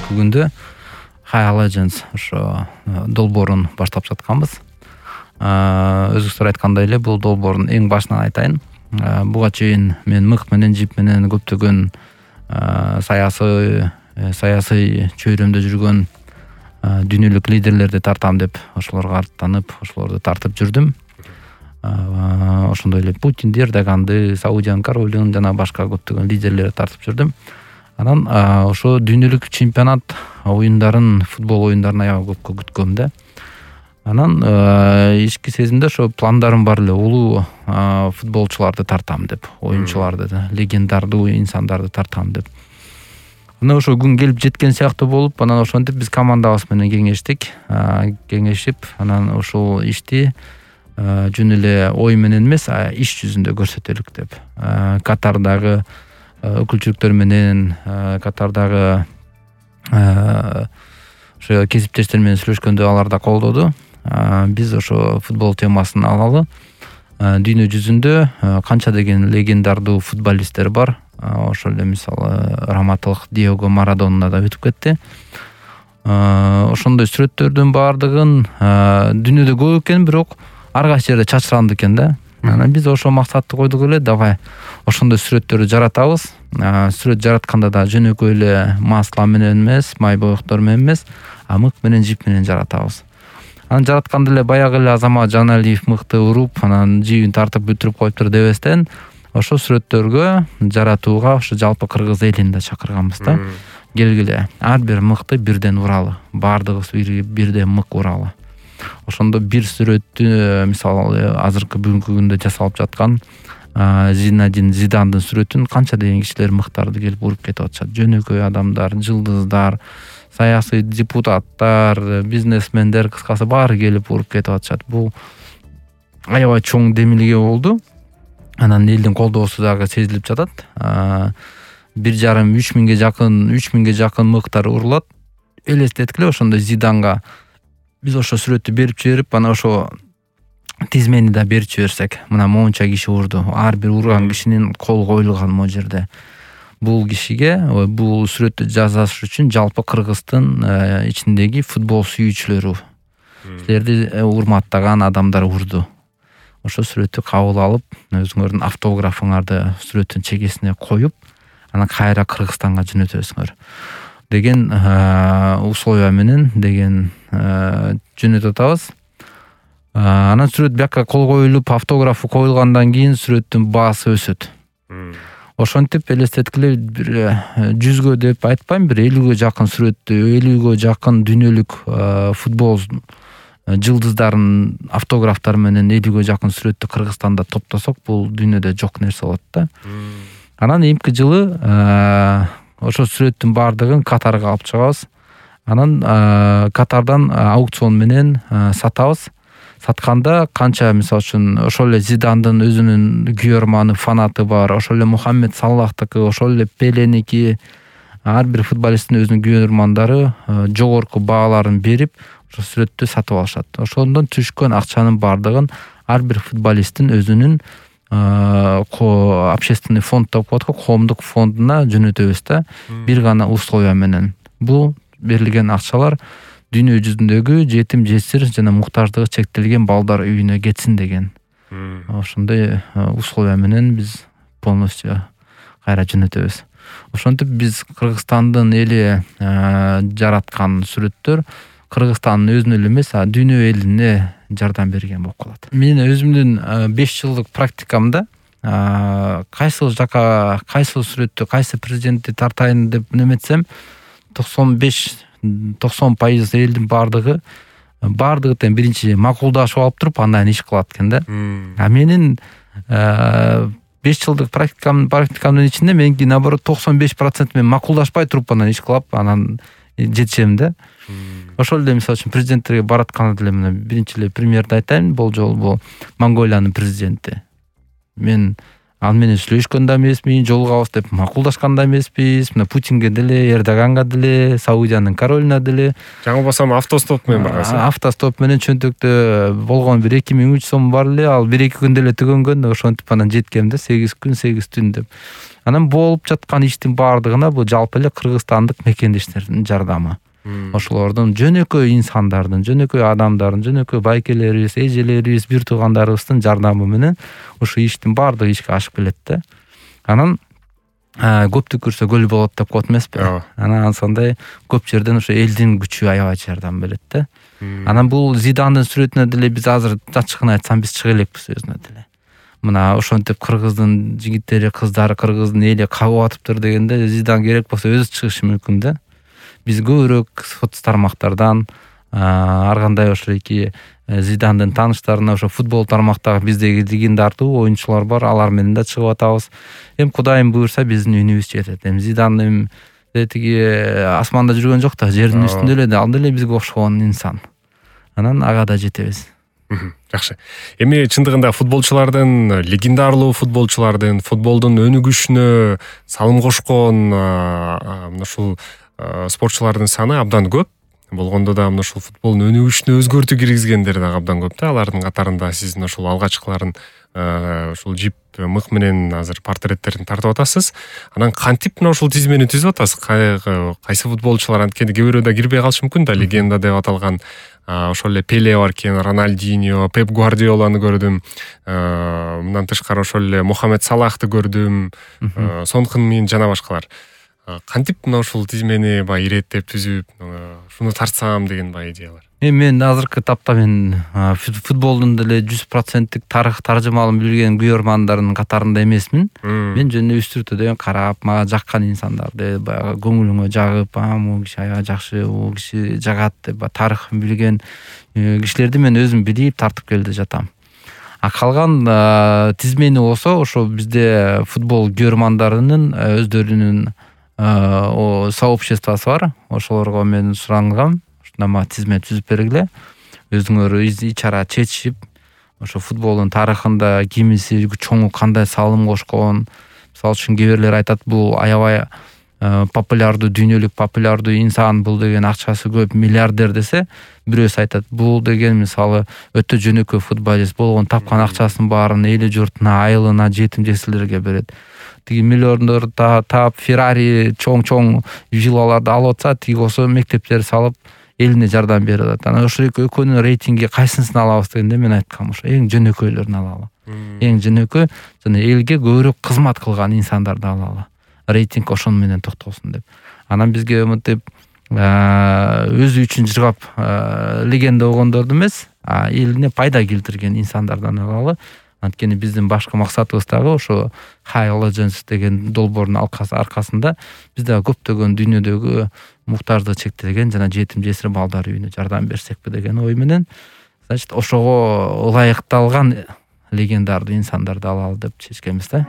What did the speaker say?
бүгүнкү күндө High Legends ошо долбоорун баштап жатканбыз. Өзүңүздөр айткандай эле бул долбоордун эң башынан айтайын. Буга чейин мен мык менен жип менен көптөгөн саясий чөйрөмдө жүргөн дүйнөлүк лидерлерди тартам деп ошолорго аттанып, ошолорду тартып жүрдүм. Ошондой эле Путинди, Эрдоганды, Саудиянын королун жана башка көптөгөн лидерлерди тартып жүрдүм. Анан ошо дүйнөлүк чемпионат оюндарын, футбол оюндарын аябай көпкө күткөм да. Анан ички сезимде ошо пландарым бар эле, улуу футболчуларды тартам деп, оюнчуларды, легендардуу инсандарды тартам деп. Мына ошо күн келип жеткен сыяктуу болуп, анан ошентип биз командабыз менен кеңешип, анан ошол ишти жөн эле ой менен эмес, иш жүзүндө көрсөтөлүк деп. Катардагы өкүлчүлүктөр менен, Катардагы ошо кесиптештер менен сүйлөшкөндө алар да колдоду. Биз ошо футбол темасын алалы. Дүйнө жүзүндө канча деген легендардуу футболисттер бар. Ошол эле мисалы раматылык Диего Марадона да өтүп кетти. Ошондой сүрөттөрдүн баардыгын дүйнөдө көп экен, бирок ар кайсы жерде чачыранды экен да. Анан биз ошо максатты койдук эле, давай ошондой сүрөттөрдү жаратабыз. Сүрөт жаратканда да жөнөкөй эле масло менен эмес, май боектор менен эмес, мык менен жип менен жаратабыз. Анан жаратканда эле баягы эле Азамат Жаналиев мыкты уруп, анан жибин тартып бүтүрүп коюптур дебестен, ошо сүрөттөргө жаратууга ошо жалпы кыргыз элин да чакырганбыз да. Келгиле, ар бир мыкты бирден уралы, баардыгыбыз бирден мык уралы. Ошондо бир сүрөттү, мисалы азыркы бүгүнкү күндө жасалып жаткан Зинедин Зидандын сүрөтүн канча деген кишилер мыктарды келип уруп кетип атышат. Жөнөкөй адамдар, жылдыздар, саясий депутаттар, бизнесмендер, кыскасы баары келип уруп кетип атышат. Бул аябай чоң демилге болду. Анан элдин колдоосу дагы сезилип жатат. 1,5-3 миңге жакын мыктар урулат. Элестеткиле ошондой Зиданга биз ошо сүрөттү берип жиберип, анан ошо тизмени да берип жиберсек, мына моунча киши урду. Ар бир урган кишинин кол коюлган могу жерде. Бул кишиге, бул сүрөттү жасаш үчүн жалпы Кыргыздын ичиндеги футбол сүйүүчүлөрү, силерди урматтаган адамдар урду. Ошо сүрөттү кабыл алып, өзүңөрдүн автографыңарды сүрөттүн чекесине коюп, анан кайра Кыргызстанга жөнөтөсүңөр деген условия менен деген жөнөтүп атабыз. Анан сүрөт бияка кол коюлуп, автографы коюлгандан кийин сүрөттүн баасы өсөт. Ошентип элестеткиле, бир 100гө деп айтпайм, бир 50гө жакын сүрөттү, 50гө жакын дүйнөлүк футбол жылдыздарын автографтары менен 50гө жакын сүрөттү Кыргызстанда топтосок, бул дүйнөдө жок нерсе болот да. Анан эмки жылы ошо сүрөттүн баардыгын Катарга алып чыгабыз. Анан Катардан аукцион менен сатабыз. Сатканда канча, мисалы үчүн, ошол эле Зидандын өзүнүн күйөрманы, фанаты бар, ошол эле Мухаммед Саллахтыкы, ошол эле Пеленики, ар бир футболисттин өзүнүн күйөрмандары жогорку бааларын берип, ошо сүрөттү сатып алышат. Ошондон түшкөн акчанын баардыгын ар бир футболисттин өзүнүн общественный фонд деп коет го, коомдук фондуна жөнөтөбүз да, бир гана условия менен. Бул берилген акчалар дүйнө жүзүндөгү жетим, жесир жана муктаждыгы чектелген балдар үйүнө кетсин деген. Ошондой условия менен биз полностью кайра жөнөтөбүз. Ошентип биз Кыргызстандын эли жараткан сүрөттөр Кыргызстандын өзүнө эле эмес, дүйнө элине жардам берген болуп калат. Мен өзүмдүн 5 жылдык практикамда кайсы жака, кайсы сүрөттү, кайсы президентти тартайын деп неметсем, 90% элдин баардыгы тең биринчи макулдашып алып туруп, андан иш кылат экен да. Менин 5 жылдык практикамдын ичинде меники наоборот 95% мен макулдашпай туруп анан иш кылып, анан жетишем да. Ошол эле мисалы үчүн президенттерге баратканда деле мына биринчи эле премьерди айтайын, бул жолу бул Монголиянын президенти. Мен ал менен сүйлөшкөн да эмесмин, жолугабыз деп макулдашкан да эмеспиз. Мына Путинге деле, Эрдоганга деле, Саудиянын королуна деле. Жаңылбасам автостоп менен баргансыз. Автостоп менен чөнтөктө болгон бир 2000-3 сом бар эле, ал 1-2 күндө эле түгөнгөн. Ошентип анан жеткем да, 8 күн 8 түн деп. Анан болуп жаткан иштин баардыгына бул жалпы эле кыргызстандык мекендештердин жардамы. Ошолордун жөнөкөй инсандардын, жөнөкөй адамдардын, жөнөкөй байкелерибиз, эжелерибиз, бир туугандарыбыздын жардамы менен ушул иштин баардыгы ишке ашып келет да. Анан көп түкүрсө көл болот деп коет эмеспи? Анан ансандай көп жерден ошо элдин күчү аябай жардам берет да. Анан бул Зидандын сүрөтүнө деле биз азыр ачыгын айтсам биз чыга элекпиз өзүнө деле. Мына ошентип кыргыздын жигиттери, кыздары, кыргыздын эли кабып атыптыр дегенде Зидан керек болсо өзү чыгышы мүмкүн да. Биз көбүрөөк соц тармактардан ар кандай ошо эки Зидандын тааныштарына ошо футбол тармактагы биздеги легендардуу оюнчулар бар, алар менен да чыгып атабыз. Эми Кудайым буйрса биздин үнүбүз жетет. Эми Зидан тиги асманда жүргөн жок да, жердин үстүндө эле да, ал деле бизге окшогон инсан. Анан ага да жетебиз. Жакшы. Эми чындыгында футболчулардын, легендарлуу футболчулардын футболдун өнүгүшүнө салым кошкон ушул спортчулардын саны абдан көп. Болгондо да мына ушул футболдун өнүгүшүнө өзгөртүү киргизгендер дагы абдан көп да. Алардын катарында сиздин ушул алгачкыларын ушул жип мык менен азыр портреттерин тартып атасыз. Анан кантип мына ушул тизмени түзүп атасыз? Кайсы футболчулар анткени кээ бирөө да кирбей калышы мүмкүн да. Легенда деп аталган ошол эле Пеле бар экен, Роналдиньо, Пеп Гвардиоланы көрдүм. Мындан тышкары ошол эле Мухаммед Салахты көрдүм. Сон Хын-мин жана башкалар. Кантип мына ушул тизмени баягы иреттеп түзүп, шуну тартсам деген баягы идеялар. Мен азыркы тапта футболдун деле 100% тарых таржымалын билген күйөрмандардын катарында эмесмин. Мен жөн үстүртөдөн карап, мага жаккан инсандарды баягы көңүлүңө жагып, бул киши аябай жакшы, бул киши жагат деп тарыхын билген кишилерди мен өзүм билип тартып келди жатам. Калган тизмени болсо ошо бизде футбол күйөрмандарынын өздөрүнүн сообществосы бар. Ошолорго мен сурангам, ушундай тизме түзүп бергиле. Өзүңөр ич-чара чечип, ошо футболдун тарыхында кимиси чоңу кандай салым кошкон. Мисалы үчүн кээ бирлер айтат, бул аябай популярдуу, дүйнөлүк популярдуу инсан, бул деген акчасы көп, миллиардер десе, бирөөсү айтат, бул деген мисалы өтө жөнөкөй футболист болгон, тапкан акчасын баарын эли журтуна, айылына, жетим жесирлерге берет. Тиги миллиондор таап, Феррари, чоң виллаларды алып атса, тиги болсо мектептер салып элине жардам берип атат. Анан ошол экөөнүн рейтинги кайсысын алабыз дегенде мен айткам, ошо эң жөнөкөйлөрүн алалы. Эң жөнөкөй жана элге көбүрөөк кызмат кылган инсандарды алалы. Рейтинг ошону менен токтосун деп. Анан бизге мынтип өзү үчүн жыргап легенда болгондорду эмес, элине пайда келтирген инсандардан алалы. Анткени биздин башкы максатыбыз дагы ошо High Legends деген долбоордун аркасында биз дагы көптөгөн дүйнөдөгү муктаждыгы чектелген жана жетим жесир балдар үйүнө жардам берсекпи деген ой менен, значит, ошого ылайыкталган легендардуу инсандарды алалы деп чечкенбиз да.